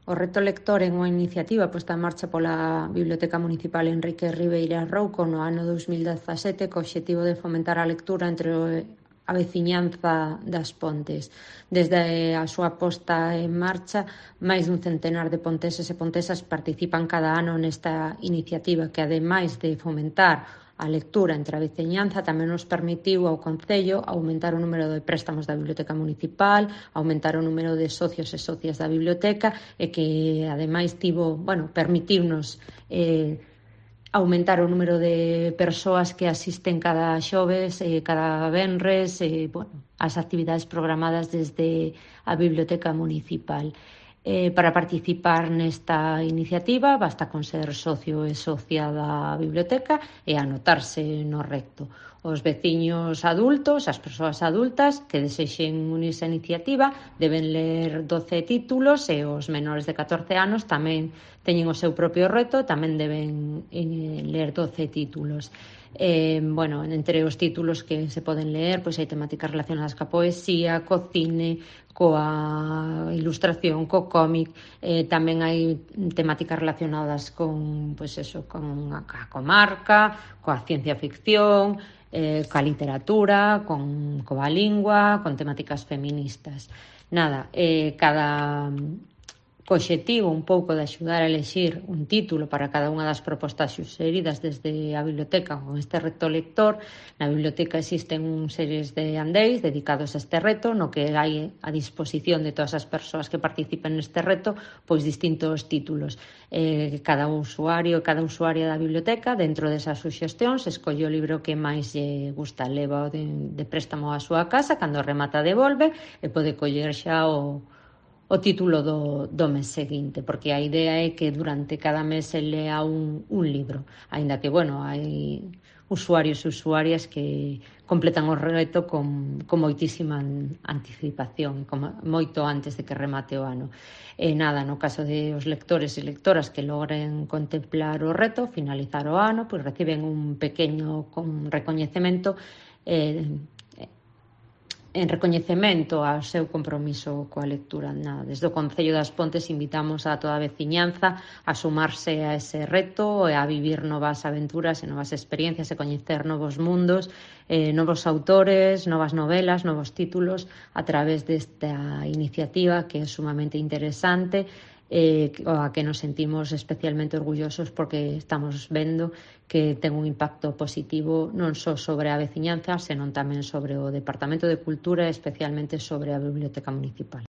O Reto Lector é unha iniciativa posta en marcha pola Biblioteca Municipal Enrique Ribeira Rouco no ano 2017 co obxectivo de fomentar a lectura entre a veciñanza das Pontes. Desde a súa posta en marcha, máis dun centenar de ponteses e pontesas participan cada ano nesta iniciativa que, ademais de fomentar a lectura entre a veciñanza, tamén nos permitiu ao Concello aumentar o número de préstamos da Biblioteca Municipal, aumentar o número de socios e socias da biblioteca e que, ademais, permitirnos aumentar o número de persoas que asisten cada xoves, cada venres, as actividades programadas desde a Biblioteca Municipal. Para participar nesta iniciativa basta con ser socio e socia da biblioteca e anotarse no recto. Os veciños adultos, as persoas adultas que desexen unirse á iniciativa deben ler 12 títulos e os menores de 14 anos tamén teñen o seu propio reto, tamén deben ler 12 títulos. Entre os títulos que se poden ler, pois hai temáticas relacionadas coa poesía, co cine, coa ilustración, co cómic, tamén hai temáticas relacionadas con a comarca, coa ciencia ficción, coa literatura, coa lingua, con temáticas feministas. Cada co obxectivo un pouco de axudar a elexir un título para cada unha das propostas suxeridas desde a biblioteca con este reto lector. Na biblioteca existen series de andeis dedicados a este reto, no que hai a disposición de todas as persoas que participen neste reto pois distintos títulos. Cada usuario e cada usuaria da biblioteca, dentro desas suxestións, escolle o libro que máis lle gusta, leva de préstamo á súa casa, cando remata devolve e pode coller xa o título do mes seguinte, porque a idea é que durante cada mes se lea un libro, aínda que, hai usuarios e usuarias que completan o reto con moitísima anticipación, moito antes de que remate o ano. No caso de os lectores e lectoras que logren contemplar o reto, finalizar o ano, pois reciben un pequeño recoñecemento en recoñecemento ao seu compromiso coa lectura. Desde o Concello das Pontes invitamos a toda a veciñanza a sumarse a ese reto e a vivir novas aventuras e novas experiencias e coñecer novos mundos, novos autores, novas novelas, novos títulos a través desta iniciativa que é sumamente interesante, a que nos sentimos especialmente orgullosos porque estamos vendo que ten un impacto positivo non só sobre a veciñanza, senón tamén sobre o Departamento de Cultura e especialmente sobre a Biblioteca Municipal.